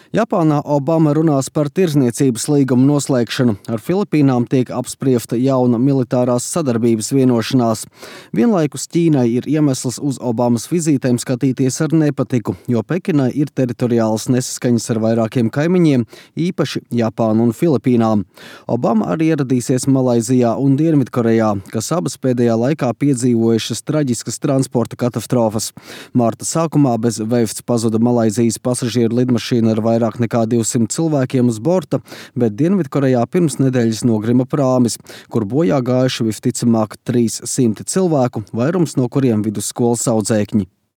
Japānā Obama runās par tirdzniecības līgumu noslēgšanu. Ar Filipīnām tiek apspriesta jauna militārās sadarbības vienošanās. Vienlaikus Ķīnai ir iemesls uz Obamas vizītēm skatīties ar nepatiku, jo Pekinai ir teritoriālas nesaskaņas ar vairākiem kaimiņiem, īpaši Japānu un Filipīnām. Obama arī ieradīsies Malaizijā un Dienvidkorejā, kas abas pēdējā laikā piedzīvojušas traģiskas transporta katastrofas. Marta sākumā bez vēsts pazuda Malaizijas pasažieru lidmašīna ar vairāk nekā 200 cilvēkiem uz borta, bet Dienvidkorejā pirms nedēļas nogrima prāmis, kur bojā gājuši visticamāk 300 cilvēku, vairums no kuriem vidusskolas audzēkņi.